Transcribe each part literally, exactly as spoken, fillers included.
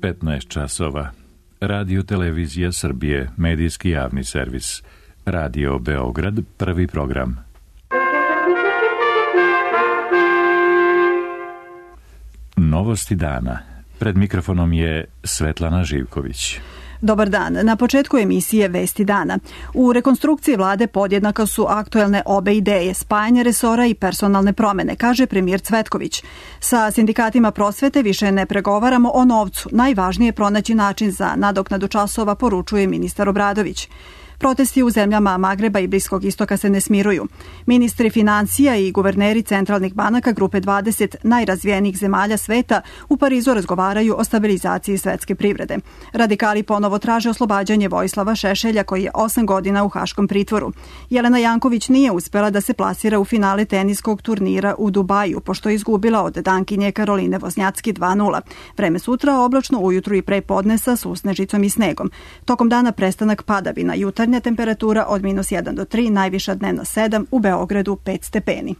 petnaest časova. Radio Televizija Srbije, medijski javni servis. Radio Beograd, prvi program. Novosti dana. Pred mikrofonom je Svetlana Živković. Dobar dan. Na početku emisije Vesti dana. U rekonstrukciji vlade podjednako su aktuelne obe ideje, spajanje resora i personalne promene, kaže premijer Cvetković. Sa sindikatima prosvete više ne pregovaramo o novcu. Najvažnije je pronaći način za nadoknadu časova, poručuje ministar Obradović. Protesti u zemljama Magreba i Bliskog istoka se ne smiruju. Ministri financija i guverneri centralnih banaka grupe dvadeset najrazvijenijih zemalja sveta u Parizu razgovaraju o stabilizaciji svetske privrede. Radikali ponovo traže oslobađanje Vojislava Šešelja koji je osam godina u haškom pritvoru. Jelena Janković nije uspela da se plasira u finale teniskog turnira u Dubaju, pošto je izgubila od Dankinje Karoline Voznjacki dva nula. Vreme sutra oblačno, ujutru i pre podne sa susnežicom i snegom. Tokom dana prestanak padavina, jutarnja temperatura od minus jedan do tri, najviša dnevna sedam, u Beogradu pet stepeni.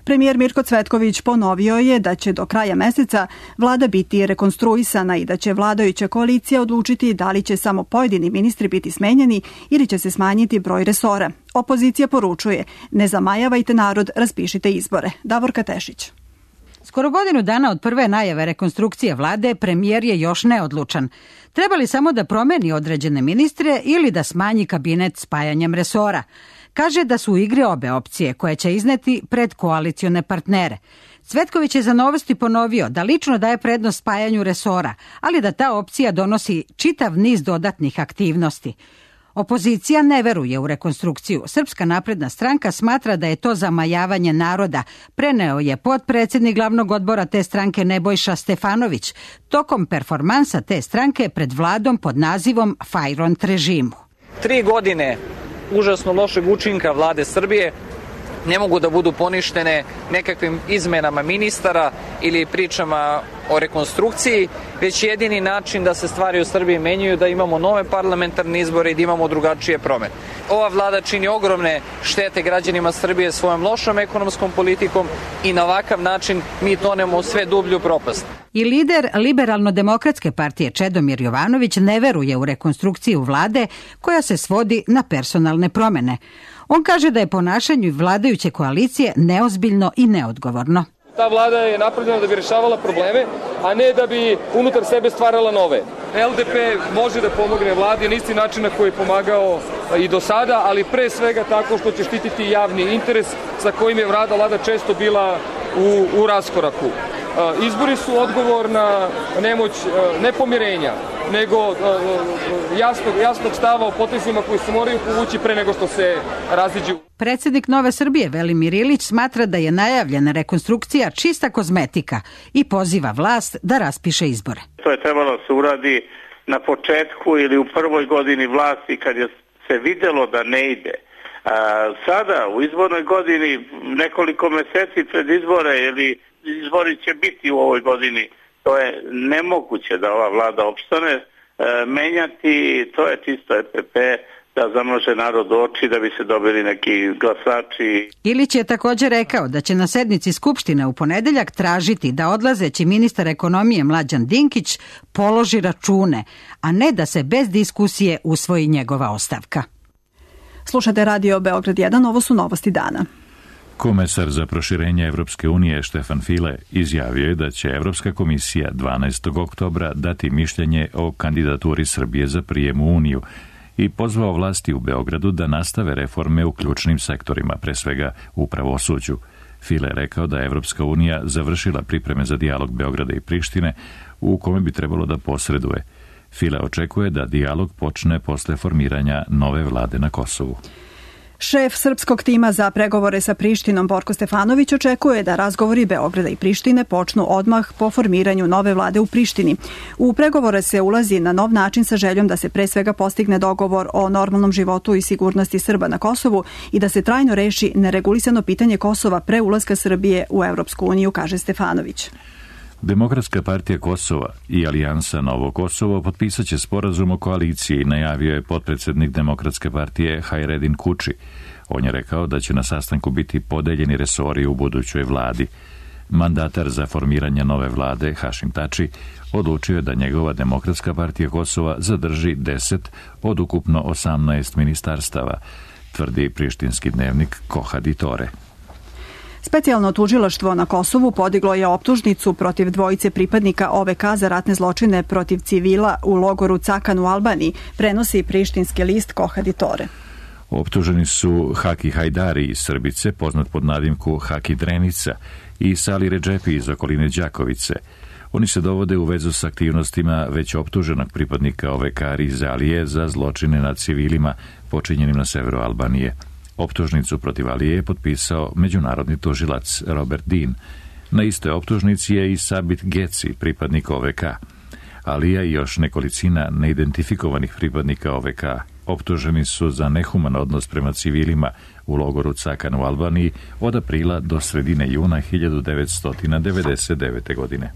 Premijer Mirko Cvetković ponovio je da će do kraja meseca vlada biti rekonstruisana i da će vladajuća koalicija odlučiti da li će samo pojedini ministri biti smenjeni ili će se smanjiti broj resora. Opozicija poručuje: ne zamajavajte narod, raspišite izbore. Davorka Tešić. Skoro godinu dana od prve najave rekonstrukcije vlade, premijer je još neodlučan. Treba li samo da promeni određene ministre ili da smanji kabinet spajanjem resora? Kaže da su u igri obe opcije koje će izneti pred koalicione partnere. Cvetković je za Novosti ponovio da lično daje prednost spajanju resora, ali da ta opcija donosi čitav niz dodatnih aktivnosti. Opozicija ne veruje u rekonstrukciju. Srpska napredna stranka smatra da je to zamajavanje naroda, preneo je potpredsjednik glavnog odbora te stranke Nebojša Stefanović tokom performansa te stranke pred vladom pod nazivom Fajront režimu. Tri godine užasno lošeg učinka vlade Srbije ne mogu da budu poništene nekakvim izmenama ministara ili pričama o rekonstrukciji, već jedini način da se stvari u Srbiji menjaju da imamo nove parlamentarne izbore i da imamo drugačije promene. Ova vlada čini ogromne štete građanima Srbije svojom lošom ekonomskom politikom i na ovakav način mi tonemo u sve dublju propast. I lider Liberalno-demokratske partije Čedomir Jovanović ne veruje u rekonstrukciju vlade koja se svodi na personalne promene. On kaže da je ponašanje vladajuće koalicije neozbiljno i neodgovorno. Ta vlada je napravljena da bi rešavala probleme, a ne da bi unutar sebe stvarala nove. L D P može da pomogne vladi na isti način na koji je pomagao i do sada, ali pre svega tako što će štititi javni interes sa kojim je vlada često bila u, u raskoraku. Izbori su odgovor na nemoć ne pomirenja, nego jasnog, jasnog stava o potezima koji se moraju povući pre nego što se raziđu. Predsjednik Nove Srbije Velimir Ilić smatra da je najavljena rekonstrukcija čista kozmetika i poziva vlast da raspiše izbore. To je trebalo se uradi na početku ili u prvoj godini vlasti kad je se vidjelo da ne ide. A, sada u izbornoj godini nekoliko meseci pred izbore ili izbori će biti u ovoj godini. To je nemoguće da ova vlada opstane. E, menjati, to je čisto E P P da zamaže narod oči da bi se dobili neki glasači. Ilić je također rekao da će na sednici Skupštine u ponedeljak tražiti da odlazeći ministar ekonomije Mlađan Dinkić položi račune, a ne da se bez diskusije usvoji njegova ostavka. Slušate Radio Beograd jedan, ovo su novosti dana. Komesar za proširenje Evropske unije Štefan File izjavio je da će Evropska komisija dvanaestog oktobra dati mišljenje o kandidaturi Srbije za prijem u Uniju i pozvao vlasti u Beogradu da nastave reforme u ključnim sektorima, pre svega u pravosuđu. File je rekao da je Evropska unija završila pripreme za dijalog Beograda i Prištine u kome bi trebalo da posreduje. File očekuje da dijalog počne posle formiranja nove vlade na Kosovu. Šef srpskog tima za pregovore sa Prištinom Borko Stefanović očekuje da razgovori Beograda i Prištine počnu odmah po formiranju nove vlade u Prištini. U pregovore se ulazi na nov način sa željom da se pre svega postigne dogovor o normalnom životu i sigurnosti Srba na Kosovu i da se trajno reši neregulisano pitanje Kosova pre ulaska Srbije u Evropsku uniju, kaže Stefanović. Demokratska partija Kosova i Alijansa Novo Kosovo potpisat će sporazum o koaliciji, najavio je potpredsjednik Demokratske partije Hajredin Kuči. On je rekao da će na sastanku biti podeljeni resori u budućoj vladi. Mandatar za formiranje nove vlade, Hašim Tači, odlučio je da njegova Demokratska partija Kosova zadrži deset od ukupno osamnaest ministarstava, tvrdi prištinski dnevnik Kohaditore. Specijalno tužilaštvo na Kosovu podiglo je optužnicu protiv dvojice pripadnika O V K za ratne zločine protiv civila u logoru Cakan u Albaniji, prenosi prištinski list Kohaditore. Optuženi su Haki Hajdari iz Srbice, poznat pod nadimku Haki Drenica, i Sali Redžepi iz okoline Đakovice. Oni se dovode u vezu s aktivnostima već optuženog pripadnika O V K Rize Alije za zločine nad civilima počinjenim na severu Albanije. Optužnicu protiv Alije je potpisao međunarodni tužilac Robert Dean. Na istoj optužnici je i Sabit Geci, pripadnik O V K. Alija i još nekolicina neidentifikovanih pripadnika O V K optuženi su za nehuman odnos prema civilima u logoru Cakan u Albaniji od aprila do sredine juna hiljadu devetsto devedeset devete. godine.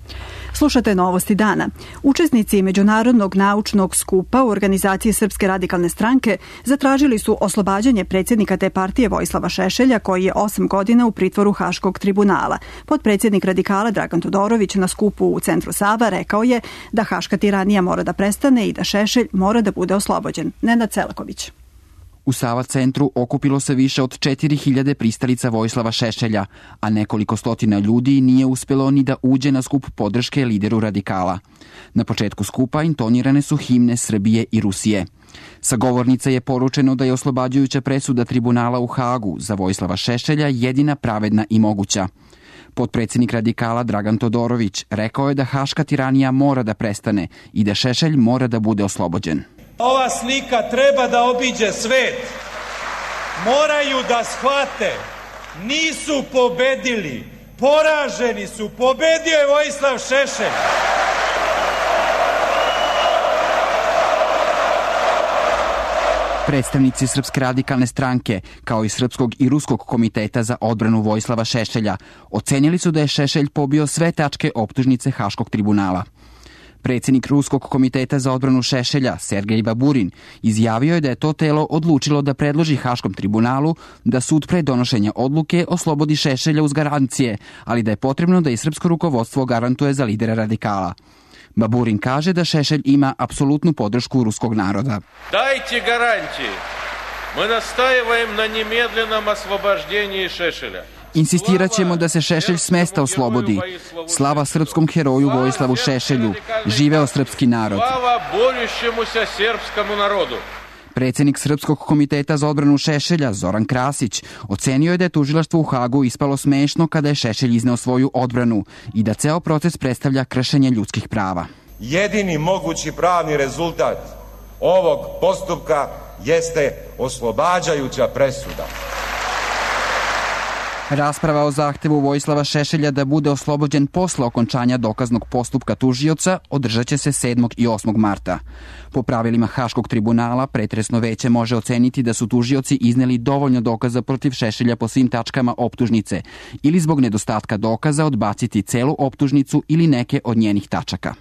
Slušate Novosti dana. Učesnici Međunarodnog naučnog skupa u organizaciji Srpske radikalne stranke zatražili su oslobađanje predsjednika te partije Vojislava Šešelja, koji je osam godina u pritvoru Haškog tribunala. Potpredsjednik radikala Dragan Todorović na skupu u centru Sava rekao je da haška tiranija mora da prestane i da Šešelj mora da bude oslobođen. Nenad Selaković. U Sava centru okupilo se više od četiri hiljade pristalica Vojislava Šešelja, a nekoliko stotina ljudi nije uspelo ni da uđe na skup podrške lideru radikala. Na početku skupa intonirane su himne Srbije i Rusije. Sa govornica je poručeno da je oslobađajuća presuda tribunala u Hagu za Vojislava Šešelja jedina pravedna i moguća. Potpredsjednik radikala Dragan Todorović rekao je da haška tiranija mora da prestane i da Šešelj mora da bude oslobođen. Ova slika treba da obiđe svet. Moraju da shvate, nisu pobedili, poraženi su, pobedio je Vojislav Šešelj. Predstavnici Srpske radikalne stranke, kao i Srpskog i Ruskog komiteta za odbranu Vojislava Šešelja, ocenili su da je Šešelj pobio sve tačke optužnice Haškog tribunala. Predsjednik Ruskog komiteta za odbranu Šešelja, Sergej Baburin, izjavio je da je to telo odlučilo da predloži Haškom tribunalu da sud pre donošenja odluke oslobodi Šešelja uz garancije, ali da je potrebno da i srpsko rukovodstvo garantuje za lidera radikala. Baburin kaže da Šešelj ima apsolutnu podršku ruskog naroda. Dajte garantije. Mi nastajevajem na nemedljenom oslobođenju Šešelja. Insistirat ćemo da se Šešelj s mesta oslobodi. Slava srpskom heroju Vojislavu Šešelju. Živeo srpski narod. Slava borjućemu se srpskom narodu. Predsjednik Srpskog komiteta za odbranu Šešelja, Zoran Krasić, ocenio je da je tužilaštvo u Hagu ispalo smešno kada je Šešelj izneo svoju odbranu i da ceo proces predstavlja kršenje ljudskih prava. Jedini mogući pravni rezultat ovog postupka jeste oslobađajuća presuda. Rasprava o zahtevu Vojislava Šešelja da bude oslobođen posle okončanja dokaznog postupka tužioca održat će se sedmog i osmog marta. Po pravilima Haškog tribunala, pretresno veće može oceniti da su tužioci izneli dovoljno dokaza protiv Šešelja po svim tačkama optužnice ili zbog nedostatka dokaza odbaciti celu optužnicu ili neke od njenih tačaka.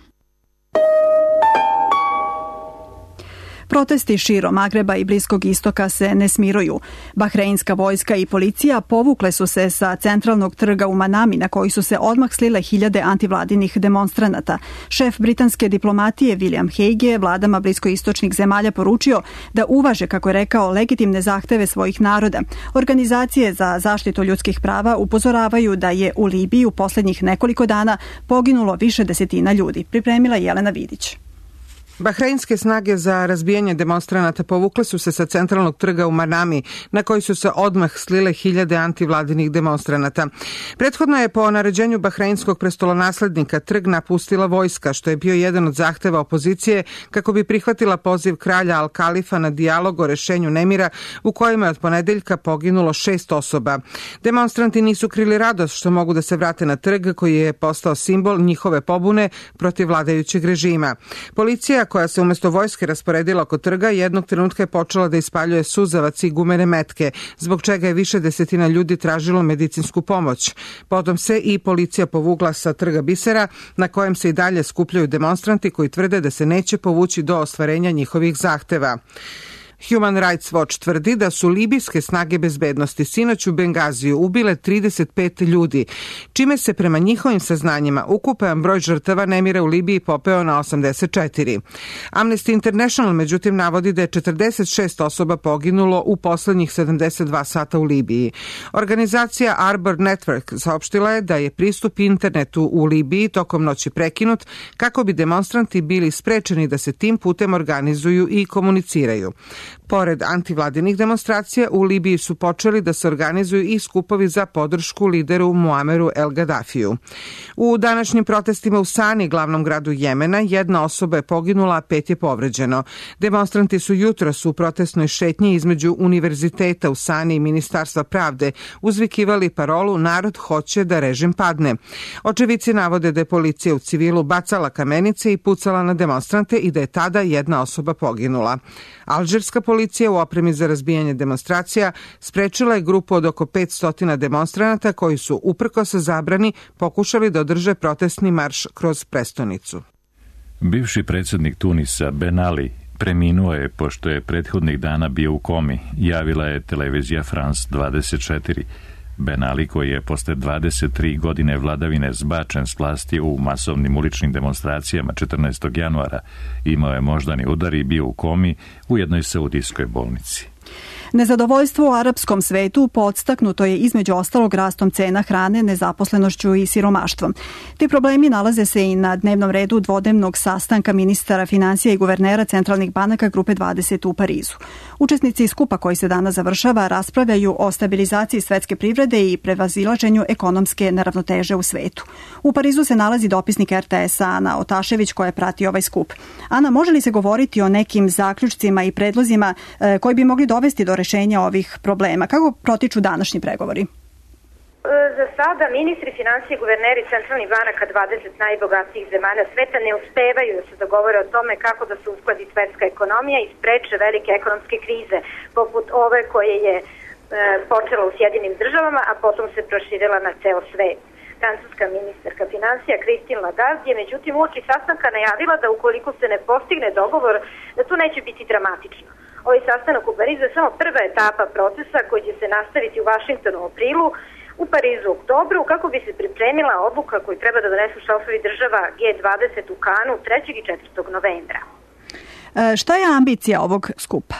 Protesti širom Magreba i Bliskog istoka se ne smiruju. Bahreinska vojska i policija povukle su se sa centralnog trga u Manami, na koji su se odmah slile hiljade antivladinih demonstranata. Šef britanske diplomatije William Hague je vladama bliskoistočnih zemalja poručio da uvaže, kako je rekao, legitimne zahteve svojih naroda. Organizacije za zaštitu ljudskih prava upozoravaju da je u Libiji u posljednjih nekoliko dana poginulo više desetina ljudi. Pripremila Jelena Vidić. Bahreinske snage za razbijanje demonstranata povukle su se sa centralnog trga u Manami, na koji su se odmah slile hiljade antivladinih demonstranata. Prethodno je po naređenju bahreinskog prestolonaslednika trg napustila vojska, što je bio jedan od zahteva opozicije kako bi prihvatila poziv kralja Al-Kalifa na dijalog o rešenju nemira u kojima je od ponedeljka poginulo šest osoba. Demonstranti nisu krili radost što mogu da se vrate na trg koji je postao simbol njihove pobune protiv vladajućeg režima. Policija koja se umjesto vojske rasporedila oko trga, jednog trenutka je počela da ispaljuje suzavac i gumene metke, zbog čega je više desetina ljudi tražilo medicinsku pomoć. Potom se i policija povukla sa trga Bisera, na kojem se i dalje skupljaju demonstranti koji tvrde da se neće povući do ostvarenja njihovih zahteva. Human Rights Watch tvrdi da su libijske snage bezbednosti sinoć u Bengaziju ubile trideset pet ljudi, čime se prema njihovim saznanjima ukupan broj žrtava nemira u Libiji popeo na osamdeset četiri. Amnesty International međutim navodi da je četrdeset šest osoba poginulo u poslednjih sedamdeset dva sata u Libiji. Organizacija Arbor Network saopštila je da je pristup internetu u Libiji tokom noći prekinut kako bi demonstranti bili sprečeni da se tim putem organizuju i komuniciraju. Pored antivladinih demonstracija, u Libiji su počeli da se organizuju i skupovi za podršku lideru Muameru El Gaddafiju. U današnjim protestima u Sani, glavnom gradu Jemena, jedna osoba je poginula, a pet je povređeno. Demonstranti su jutros u protestnoj šetnji između univerziteta u Sani i Ministarstva pravde uzvikivali parolu "Narod hoće da režim padne". Očevici navode da je policija u civilu bacala kamenice i pucala na demonstrante i da je tada jedna osoba poginula. Alžirska policija u opremi za razbijanje demonstracija sprečila je grupu od oko petsto demonstranata koji su, uprkos zabrani, pokušali da održe protestni marš kroz prestonicu. Bivši predsjednik Tunisa Ben Ali preminuo je pošto je prethodnih dana bio u komi, javila je televizija France dvadeset četiri. Ben Ali, koji je posle dvadeset tri godine vladavine zbačen s vlasti u masovnim uličnim demonstracijama četrnaestog januara, imao je moždani udar i bio u komi u jednoj saudijskoj bolnici. Nezadovoljstvo u arapskom svetu podstaknuto je između ostalog rastom cena hrane, nezaposlenošću i siromaštvom. Ti problemi nalaze se i na dnevnom redu dvodnevnog sastanka ministara finansija i guvernera centralnih banaka Grupe dvadeset u Parizu. Učesnici skupa koji se danas završava raspravljaju o stabilizaciji svetske privrede i prevazilaženju ekonomske neravnoteže u svetu. U Parizu se nalazi dopisnik R T S-a Ana Otašević koja prati ovaj skup. Ana, može li se govoriti o nekim zaključcima i predlozima e, koji bi mogli dovesti do rešenja ovih problema? Kako protiču današnji pregovori? Za sada ministri finansije i guverneri centralnih banaka dvadeset najbogatijih zemalja sveta ne uspevaju da se dogovore o tome kako da se uskladi svetska ekonomija i spreče velike ekonomske krize, poput ove koje je e, počela u Sjedinim državama, a potom se proširila na ceo svet. Francuska ministarka finansija Christine Lagarde je međutim uoči sastanka najavila da ukoliko se ne postigne dogovor, da to neće biti dramatično. Ovaj sastanak u Parizu je samo prva etapa procesa koji će se nastaviti u Vašingtonu u aprilu, u Parizu u oktobru, kako bi se pripremila odluka koju treba da donesu šefovi država G dvadeset u Kanu trećeg i četvrtog novembra. E, šta je ambicija ovog skupa?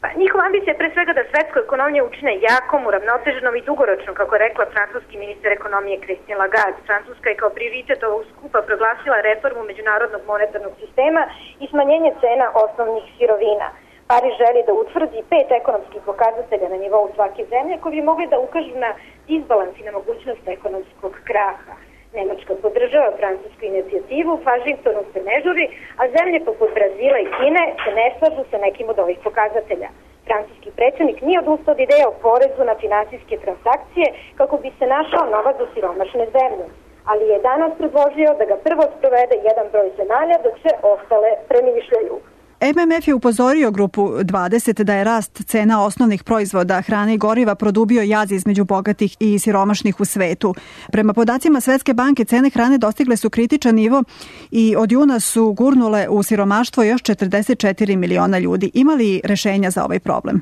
Pa, njihova ambicija je pre svega da svetsku ekonomiju učine jakom, uravnoteženom i dugoročnom, kako je rekla francuski ministar ekonomije Christine Lagarde. Francuska je kao prioritet ovog skupa proglasila reformu međunarodnog monetarnog sistema i smanjenje cena osnovnih sirovina. Pariz želi da utvrdi pet ekonomskih pokazatelja na nivou svake zemlje koji bi mogli da ukažu na disbalans i na mogućnost ekonomskog kraha. Nemačka podržava francusku inicijativu, Vašingtonu se ne žuri, a zemlje poput Brazila i Kine se ne slažu sa nekim od ovih pokazatelja. Francuski predsjednik nije odustao od ideje o porezu na finansijske transakcije kako bi se našao novac za siromašne zemlje, ali je danas predložio da ga prvo sprovede jedan broj zemalja dok se ostale premišljaju. M M F je upozorio Grupu dvadeset da je rast cena osnovnih proizvoda, hrane i goriva produbio jaz između bogatih i siromašnih u svetu. Prema podacima Svetske banke, cene hrane dostigle su kritičan nivo i od juna su gurnule u siromaštvo još četrdeset četiri miliona ljudi. Ima li rešenja za ovaj problem?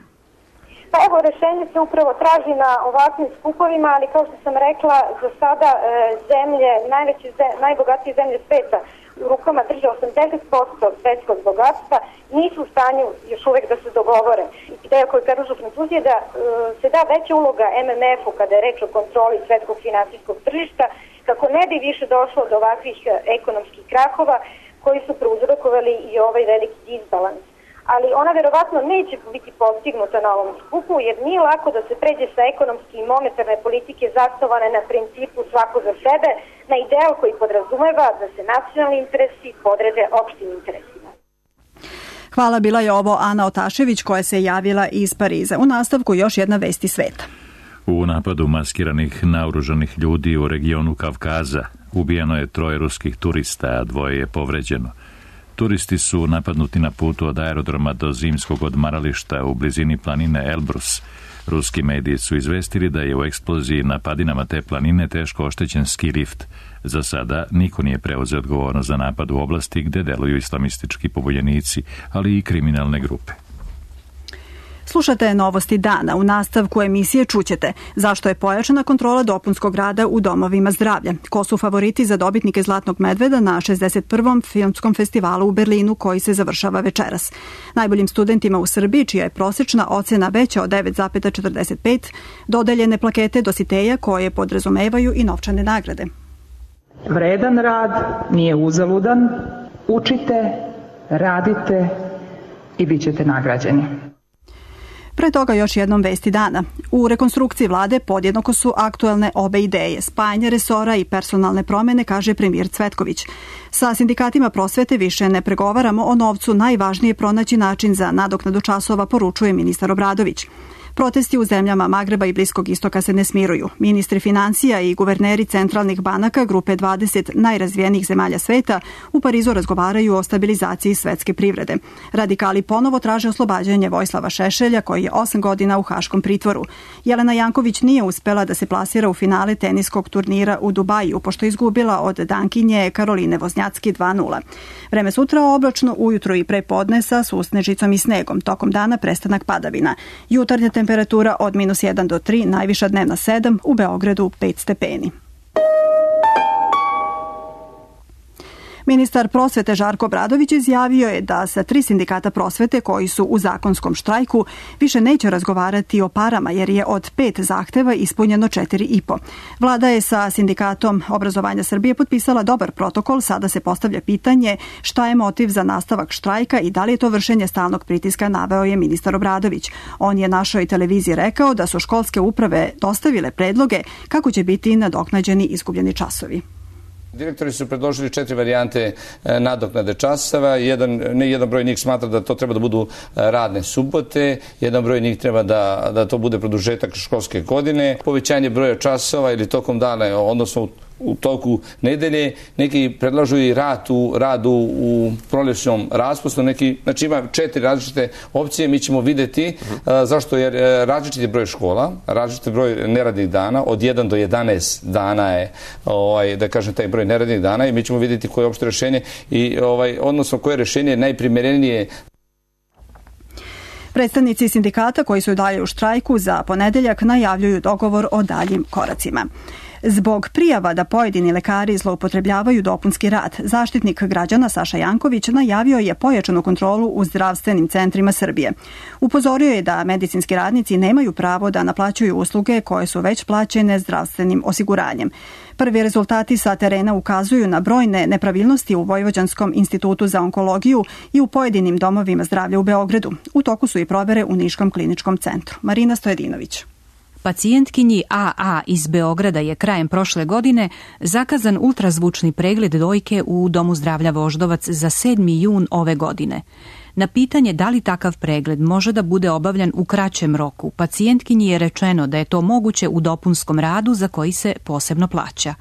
Pa evo, rešenje se upravo traži na ovakvim skupovima, ali kao što sam rekla, za sada e, zemlje, najveće, najbogatije zemlje sveta u rukama drže osamdeset posto svetskog bogatstva, nisu u stanju još uvek da se dogovore. Ideja koju predlažu Francuzi je da e, se da veća uloga M M F-u kada je reč o kontroli svetskog finansijskog tržišta, kako ne bi više došlo do ovakvih ekonomskih krahova koji su prouzrokovali i ovaj veliki disbalans. Ali ona verovatno neće biti postignuta na ovom skupu, jer nije lako da se pređe sa ekonomske i monetarne politike zasnovane na principu svako za sebe, na ideal koji podrazumeva da se nacionalni interesi podrede opštim interesima. Hvala, bila je ovo Ana Otašević koja se javila iz Pariza. U nastavku još jedna vesti sveta. U napadu maskiranih naoružanih ljudi u regionu Kavkaza ubijeno je troje ruskih turista, a dvoje je povređeno. Turisti su napadnuti na putu od aerodroma do zimskog odmarališta u blizini planine Elbrus. Ruski mediji su izvestili da je u eksploziji na padinama te planine teško oštećen ski lift. Za sada niko nije preuzeo odgovornost za napad u oblasti gde deluju islamistički pobunjenici, ali i kriminalne grupe. Slušate novosti dana. U nastavku emisije čućete zašto je pojačana kontrola dopunskog rada u domovima zdravlja, ko su favoriti za dobitnike Zlatnog medveda na šezdeset prvom filmskom festivalu u Berlinu koji se završava večeras. Najboljim studentima u Srbiji, čija je prosečna ocena veća od devet zarez četrdeset pet, dodeljene plakete Dositeja koje podrazumevaju i novčane nagrade. Vredan rad nije uzaludan, učite, radite i bit ćete nagrađeni. Pre toga još jednom vesti dana. U rekonstrukciji vlade podjednako su aktuelne obe ideje, spajanje resora i personalne promene, kaže premijer Cvetković. Sa sindikatima prosvete više ne pregovaramo o novcu, najvažnije je pronaći način za nadoknadu časova, poručuje ministar Obradović. Protesti u zemljama Magreba i Bliskog istoka se ne smiruju. Ministri financija i guverneri centralnih banaka grupe dvadeset najrazvijenijih zemalja sveta u Parizu razgovaraju o stabilizaciji svetske privrede. Radikali ponovo traže oslobađanje Vojislava Šešelja koji je osam godina u haškom pritvoru. Jelena Janković nije uspela da se plasira u finale teniskog turnira u Dubaju, pošto je izgubila od Dankinje Karoline Voznjacki dva nula. Vreme sutra oblačno, ujutro i pre podne sa susnežicom i snegom. Tokom dana prestanak padavina. Jutarnja temperatura od minus jedan do tri, najviša dnevna sedam, u Beogradu pet stepeni. Ministar prosvete Žarko Obradović izjavio je da sa tri sindikata prosvete koji su u zakonskom štrajku više neće razgovarati o parama jer je od pet zahteva ispunjeno četiri i po. Vlada je sa sindikatom obrazovanja Srbije potpisala dobar protokol, sada se postavlja pitanje šta je motiv za nastavak štrajka i da li je to vršenje stalnog pritiska, naveo je ministar Obradović. On je našoj televiziji rekao da su školske uprave dostavile predloge kako će biti nadoknađeni izgubljeni časovi. Direktori su predložili četiri varijante nadoknade časova. Jedan, ne jedan broj njih smatra da to treba da budu radne subote, jedan broj njih treba da, da to bude produžetak školske godine, povećanje broja časova ili tokom dana, odnosno u u toku nedelje, neki predlažu i rad u, rad u, u proljećnom raspustu, neki, znači ima četiri različite opcije, mi ćemo vidjeti uh, zašto je različiti broj škola, različiti broj neradnih dana, od jedan do jedanaest dana je, ovaj, da kažem, taj broj neradnih dana i mi ćemo vidjeti koje je opšte rešenje i ovaj, odnosno koje rešenje je najprimerenije. Predstavnici sindikata koji su dalje u štrajku za ponedeljak najavljuju dogovor o daljim koracima. Zbog prijava da pojedini lekari zloupotrebljavaju dopunski rad, Zaštitnik građana Saša Janković najavio je pojačanu kontrolu u zdravstvenim centrima Srbije. Upozorio je da medicinski radnici nemaju pravo da naplaćuju usluge koje su već plaćene zdravstvenim osiguranjem. Prvi rezultati sa terena ukazuju na brojne nepravilnosti u Vojvođanskom institutu za onkologiju i u pojedinim domovima zdravlja u Beogradu. U toku su i provere u Niškom kliničkom centru. Marina Stojedinović. Pacijentkinji A A iz Beograda je krajem prošle godine zakazan ultrazvučni pregled dojke u Domu zdravlja Voždovac za sedmi jun ove godine. Na pitanje da li takav pregled može da bude obavljan u kraćem roku, pacijentkinji je rečeno da je to moguće u dopunskom radu za koji se posebno plaća.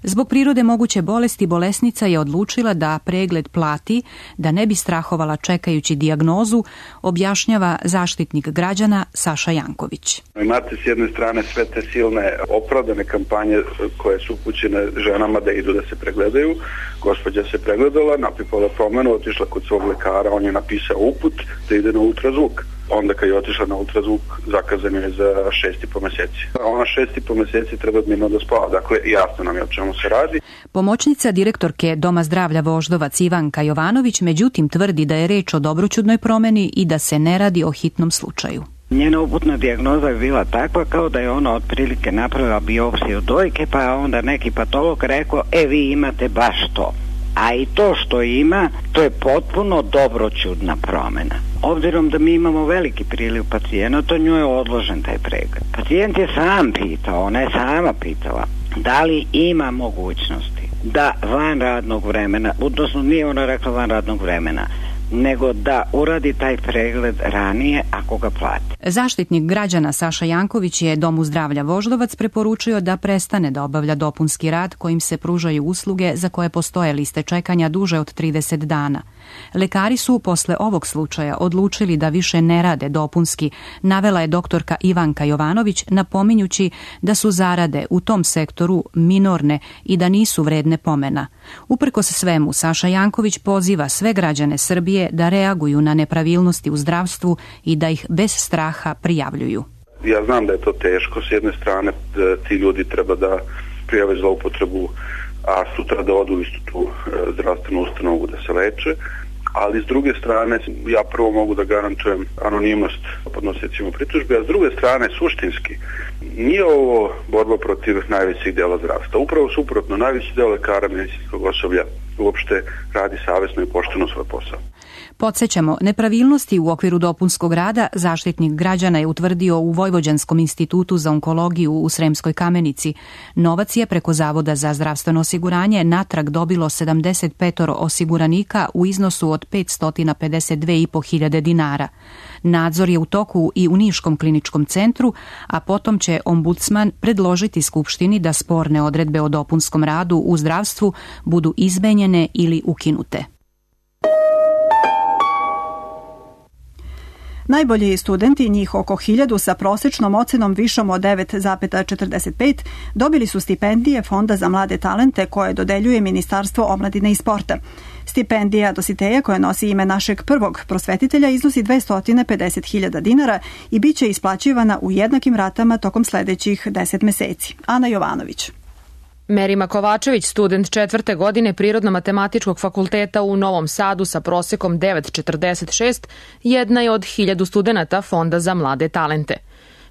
Zbog prirode moguće bolesti bolesnica je odlučila da pregled plati, da ne bi strahovala čekajući dijagnozu, objašnjava Zaštitnik građana Saša Janković. Imate s jedne strane sve te silne opravdane kampanje koje su upućene ženama da idu da se pregledaju. Gospođa se pregledala, napipala promenu, otišla kod svog lekara, on je napisao uput da ide na ultrazvuk. Onda kad je otišla na ultrazvuk, zakazano je za šest i po meseci. Ona šest i po meseci treba mirno da spava, dakle jasno nam je o čemu se radi. Pomoćnica direktorke Doma zdravlja Voždovac Ivanka Jovanović međutim tvrdi da je reč o dobroćudnoj promeni i da se ne radi o hitnom slučaju. Njena uputna dijagnoza je bila takva kao da je ona otprilike napravila biopsiju dojke, pa je onda neki patolog rekao, e vi imate baš to. A i to što ima, to je potpuno dobroćudna promena. Obzirom da mi imamo veliki priliv pacijenata, njoj je odložen taj pregled. Pacijent je sam pitao, ona je sama pitala, da li ima mogućnosti da van radnog vremena, odnosno nije ona rekla van radnog vremena, nego da uradi taj pregled ranije ako ga plati. Zaštitnik građana Saša Janković je Domu zdravlja Voždovac preporučio da prestane da obavlja dopunski rad kojim se pružaju usluge za koje postoje liste čekanja duže od trideset dana. Lekari su posle ovog slučaja odlučili da više ne rade dopunski, navela je doktorka Ivanka Jovanović, napominjući da su zarade u tom sektoru minorne i da nisu vredne pomena. Uprkos svemu, Saša Janković poziva sve građane Srbije da reaguju na nepravilnosti u zdravstvu i da ih ih bez straha prijavljuju. Ja znam da je to teško, s jedne strane ti ljudi treba da prijave zloupotrebu, a sutra da odu u istu tu zdravstvenu ustanovu da se leče, ali s druge strane ja prvo mogu da garantujem anonimnost podnosiocima pritužbe, a s druge strane suštinski nije ovo borba protiv najvećih dela zdravstva. Upravo suprotno, najveći deo lekara, medicinskog osoblja uopšte radi savesno i pošteno svoj posao. Podsjećamo, nepravilnosti u okviru dopunskog rada Zaštitnik građana je utvrdio u Vojvođanskom institutu za onkologiju u Sremskoj Kamenici. Novac je preko Zavoda za zdravstveno osiguranje natrag dobilo sedamdeset pet osiguranika u iznosu od petsto pedeset dve i po hiljade dinara. Nadzor je u toku i u Niškom kliničkom centru, a potom će ombudsman predložiti Skupštini da sporne odredbe o dopunskom radu u zdravstvu budu izmenjene ili ukinute. Najbolji studenti, njih oko hiljadu sa prosečnom ocenom višom od devet zarez četrdeset pet, dobili su stipendije Fonda za mlade talente koje dodeljuje Ministarstvo omladine i sporta. Stipendija Dositeja, koja nosi ime našeg prvog prosvetitelja, iznosi dvesta pedeset hiljada dinara i bit će isplaćivana u jednakim ratama tokom sledećih deset meseci. Ana Jovanović. Merima Kovačević, student četvrte godine Prirodno-matematičkog fakulteta u Novom Sadu sa prosekom devet zarez četrdeset šest, jedna je od hiljadu studenata Fonda za mlade talente.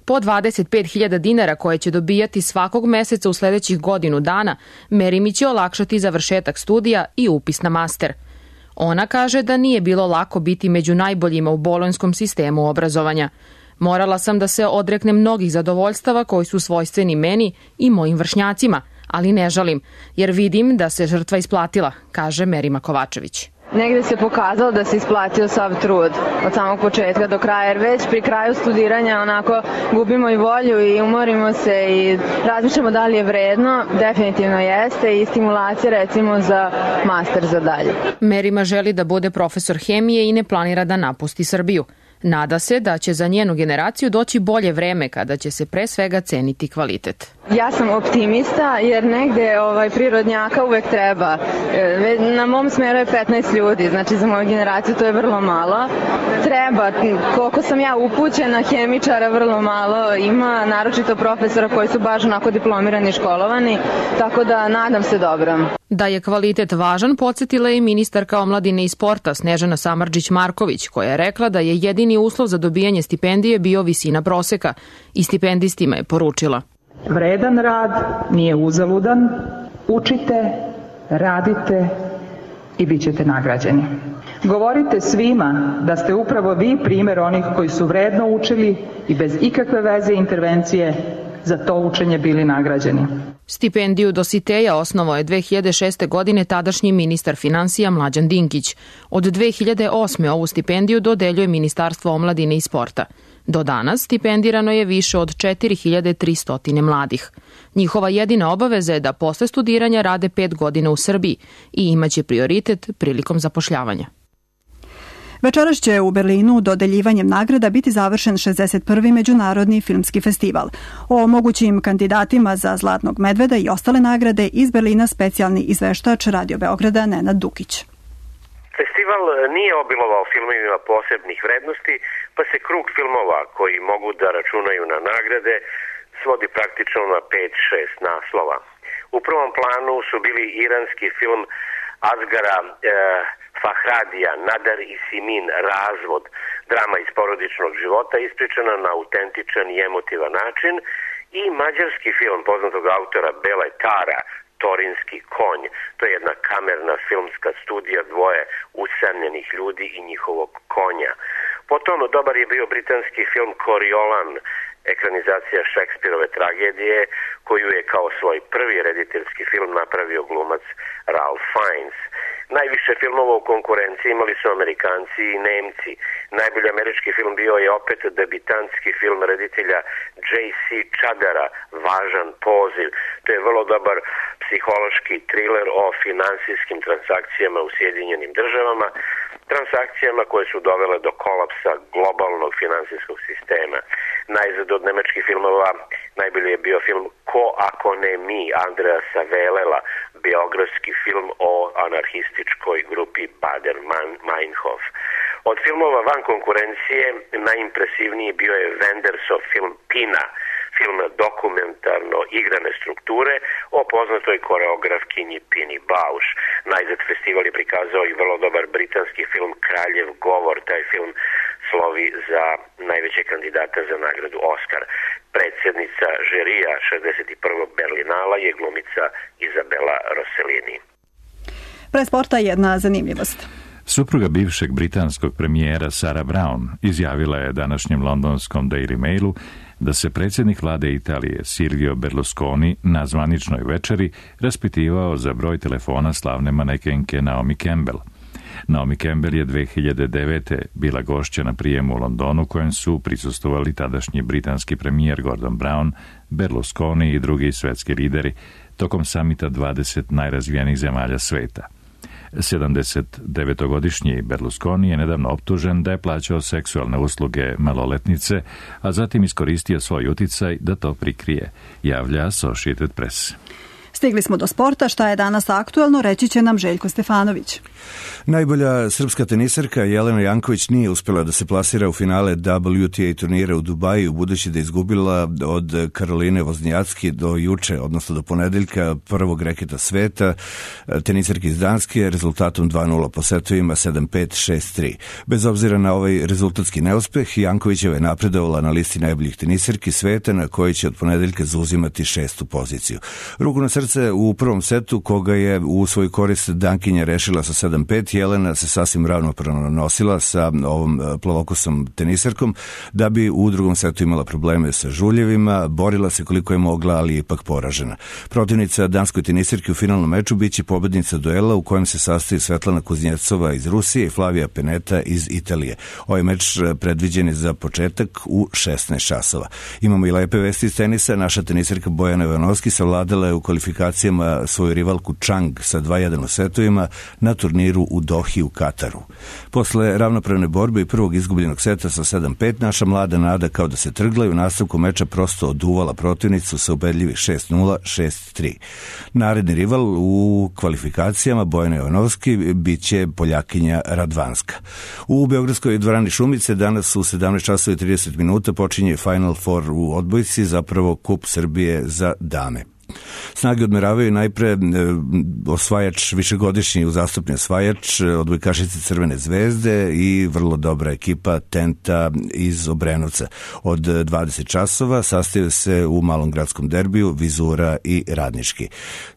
Po dvadeset pet hiljada dinara koje će dobijati svakog meseca u sledećih godinu dana, Merimi će olakšati završetak studija i upis na master. Ona kaže da nije bilo lako biti među najboljima u bolonjskom sistemu obrazovanja. Morala sam da se odreknem mnogih zadovoljstava koji su svojstveni meni i mojim vršnjacima, ali ne žalim, jer vidim da se žrtva isplatila, kaže Merima Kovačević. Negde se pokazalo da se isplatio sav trud od samog početka do kraja, jer već pri kraju studiranja onako gubimo i volju i umorimo se i razmišljamo da li je vredno, definitivno jeste, i stimulacija recimo za master za dalje. Merima želi da bude profesor hemije i ne planira da napusti Srbiju. Nada se da će za njenu generaciju doći bolje vreme kada će se pre svega ceniti kvalitet. Ja sam optimista jer negde ovaj, prirodnjaka uvek treba. Na mom smeru je petnaest ljudi, znači za moju generaciju to je vrlo malo. Treba, koliko sam ja upućena, hemičara vrlo malo ima, naročito profesora koji su baš onako diplomirani i školovani, tako da nadam se dobro. Da je kvalitet važan, podsjetila je i ministarka omladine i sporta Snežana Samardžić-Marković, koja je rekla da je jedini uslov za dobijanje stipendije bio visina proseka i stipendistima je poručila: vredan rad nije uzaludan, učite, radite i bit ćete nagrađeni. Govorite svima da ste upravo vi primjer onih koji su vredno učili i bez ikakve veze i intervencije za to učenje bili nagrađeni. Stipendiju Dositeja osnovao je dve hiljade šeste. godine tadašnji ministar finansija Mlađan Dinkić. Od dve hiljade osme. ovu stipendiju dodeljuje Ministarstvo omladine i sporta. Do danas stipendirano je više od četiri hiljade tristo mladih. Njihova jedina obaveza je da posle studiranja rade pet godina u Srbiji i imaće prioritet prilikom zapošljavanja. Večeras će u Berlinu dodeljivanjem nagrada biti završen šezdeset prvi. Međunarodni filmski festival. O mogućim kandidatima za Zlatnog medveda i ostale nagrade iz Berlina specijalni izveštač Radio Beograda Nenad Dukić. Festival nije obilovao filmovima posebnih vrednosti, pa se krug filmova koji mogu da računaju na nagrade svodi praktično na pet šest naslova. U prvom planu su bili iranski film Asgara e, Fahradija, Nadar i Simin, Razvod, drama iz porodičnog života ispričana na autentičan i emotivan način, i mađarski film poznatog autora Bele Tara, Torinski konj. To je jedna kamerna filmska studija dvoje usamljenih ljudi i njihovog konja. Potom dobar je bio britanski film Coriolan, ekranizacija Šekspirove tragedije, koju je kao svoj prvi rediteljski film napravio glumac Ralph Fiennes. Najviše filmova u konkurenciji imali su Amerikanci i Nemci. Najbolji američki film bio je opet debitantski film reditelja J C Chadara, Važan poziv. To je vrlo dobar psihološki triler o finansijskim transakcijama u Sjedinjenim državama, transakcijama koje su dovele do kolapsa globalnog finansijskog sistema. Najzad od nemačkih filmova najbolji je bio film Ko ako ne mi, Andreasa Velela, biografski film o anarhističkoj grupi Bader-Meinhof. Od filmova van konkurencije najimpresivniji bio je Wendersov film Pina, film dokumentarno igrane strukture o poznatoj koreografkinji Pini Bausch. Najzad festival je prikazao i vrlo dobar britanski film Kraljev govor. Taj film slovi za najveće kandidata za nagradu Oskar. Predsjednica žirija šezdeset prvog Berlinala je glumica Izabela Rossellini. Pre sporta jedna zanimljivost. Supruga bivšeg britanskog premijera Sarah Brown izjavila je današnjem londonskom Daily Mailu da se predsjednik vlade Italije Silvio Berlusconi na zvaničnoj večeri raspitivao za broj telefona slavne manekenke Naomi Campbell. Naomi Campbell je dve hiljade devete. bila gošća na prijemu u Londonu kojem su prisustvovali tadašnji britanski premijer Gordon Brown, Berlusconi i drugi svetski lideri tokom samita dvadeset najrazvijenijih zemalja sveta. sedamdesetdevetogodišnji Berlusconi je nedavno optužen da je plaćao seksualne usluge maloletnice, a zatim iskoristio svoj uticaj da to prikrije, javlja Associated Press. Stigli smo do sporta, šta je danas aktuelno, reći će nam Željko Stefanović. Najbolja srpska tenisarka Jelena Janković nije uspjela da se plasira u finale W T A turnira u Dubaju, budući da je izgubila od Karoline Voznjacki do juče, odnosno do ponedeljka, prvog reketa sveta, tenisarki iz Danske, rezultatom dva nula po setovima sedam pet šest tri. Bez obzira na ovaj rezultatski neuspeh, Jankovićeva je napredovala na listi najboljih tenisarki sveta, na kojoj će od ponedeljka zauzimati šestu poziciju. Ruku na srce u prvom setu, koga je u svoju korist Dankinja rešila sa sedam pet, Jelena se sasvim ravnopravno nosila sa ovom plavokosom tenisarkom, da bi u drugom setu imala probleme sa žuljevima, borila se koliko je mogla, ali je ipak poražena. Protivnica danskoj tenisarki u finalnom meču biće pobednica duela u kojem se sastoji Svetlana Kuznjecova iz Rusije i Flavija Peneta iz Italije. Ovaj meč predviđen je za početak u šesnaest časova. Imamo i lepe vesti iz tenisa. Naša tenisarka Bojana Ivanoski savladala je u kvalifikacijama svoju rivalku Chang sa dva jedan u setovima na turniru u Dohi u Kataru. Posle ravnopravne borbe i prvog izgubljenog seta sa sedam pet, naša mlada nada kao da se trgla i u nastavku meča prosto oduvala protivnicu sa ubedljivih šest nula šest tri. Naredni rival u kvalifikacijama Bojana Jovanovski biće Poljakinja Radvanska. U beogradskoj dvorani Šumice danas u sedamnaest časova i trideset minuta počinje Final Four u odbojci, zapravo Kup Srbije za dame. Snage odmeravaju najpre e, osvajač, višegodišnji uzastopni osvajač, odbojkašice Crvene zvezde i vrlo dobra ekipa Tenta iz Obrenovca. Od dvadeset časova sastaju se u malom gradskom derbiju Vizura i Radnički.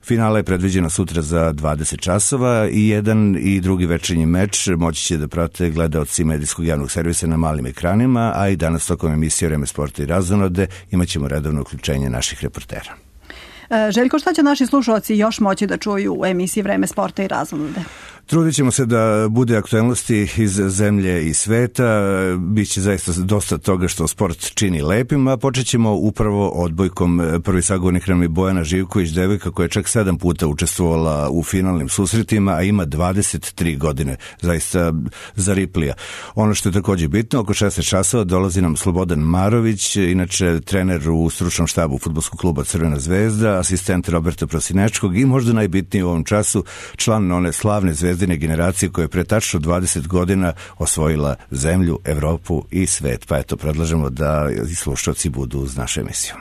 Finala je predviđena sutra za dvadeset časova i jedan i drugi večernji meč moći će da prate gledaoci medijskog javnog servisa na malim ekranima, a i danas tokom emisije Vreme sporta i razonode imat ćemo redovno uključenje naših reportera. Željko, šta će naši slušalci još moći da čuju u emisiji Vreme sporta i razonode? Trudit ćemo se da bude aktuelnosti iz zemlje i sveta, biće zaista dosta toga što sport čini lepim, a počet ćemo upravo odbojkom. Prvi sagovornik nam je Bojana Živković, devojka koja je čak sedam puta učestvovala u finalnim susretima, a ima dvadeset tri godine, zaista zariplija. Ono što je također bitno, oko šesnaest časova dolazi nam Slobodan Marović, inače trener u stručnom štabu fudbalskog kluba Crvena zvezda, asistent Roberta Prosinečkog i možda najbitniji u ovom času član one slavne zvezde generacije koja je pre tačno dvadeset godina osvojila zemlju, Evropu i svet. Pa eto, predlažemo da i slušalci budu uz našu emisiju.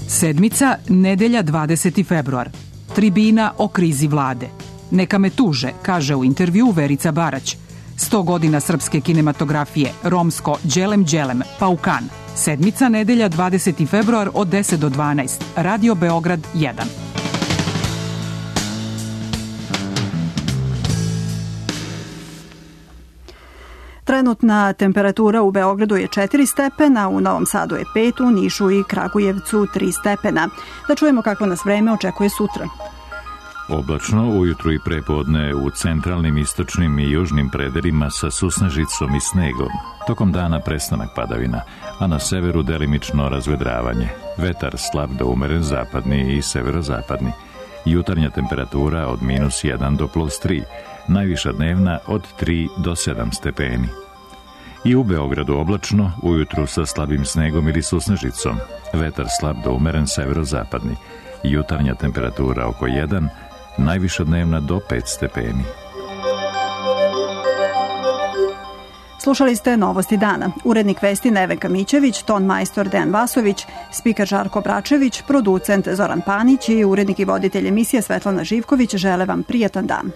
Sedmica, nedelja dvadeseti februar. Tribina o krizi vlade. Neka me tuže, kaže u intervju Verica Barać. sto godina srpske kinematografije, romsko Đelem Đelem, Paukan. Sedmica, nedelja dvadeseti februar od deset do dvanaest. Radio Beograd jedan. Trenutna temperatura u Beogradu je četiri stepena, u Novom Sadu je pet, u Nišu i Kragujevcu tri stepena. Da čujemo kako nas vreme očekuje sutra. Oblačno, ujutru i prepodne u centralnim, istočnim i južnim predelima sa susnežicom i snegom. Tokom dana prestanak padavina, a na severu delimično razvedravanje. Vetar slab do umeren zapadni i severozapadni. Jutarnja temperatura od minus jedan do plus tri. Najviša dnevna od tri do sedam stepeni. I u Beogradu oblačno, ujutru sa slabim snegom ili susnežicom. Vetar slab do umeren severozapadni. Jutarnja temperatura oko jedan, najviša dnevna do pet stepeni. Slušali ste Novosti dana. Urednik vesti Nevenka Mićević, ton majstor Dejan Vasović, spiker Žarko Bračević, producent Zoran Panić i urednik i voditelj emisije Svetlana Živković žele vam prijatan dan.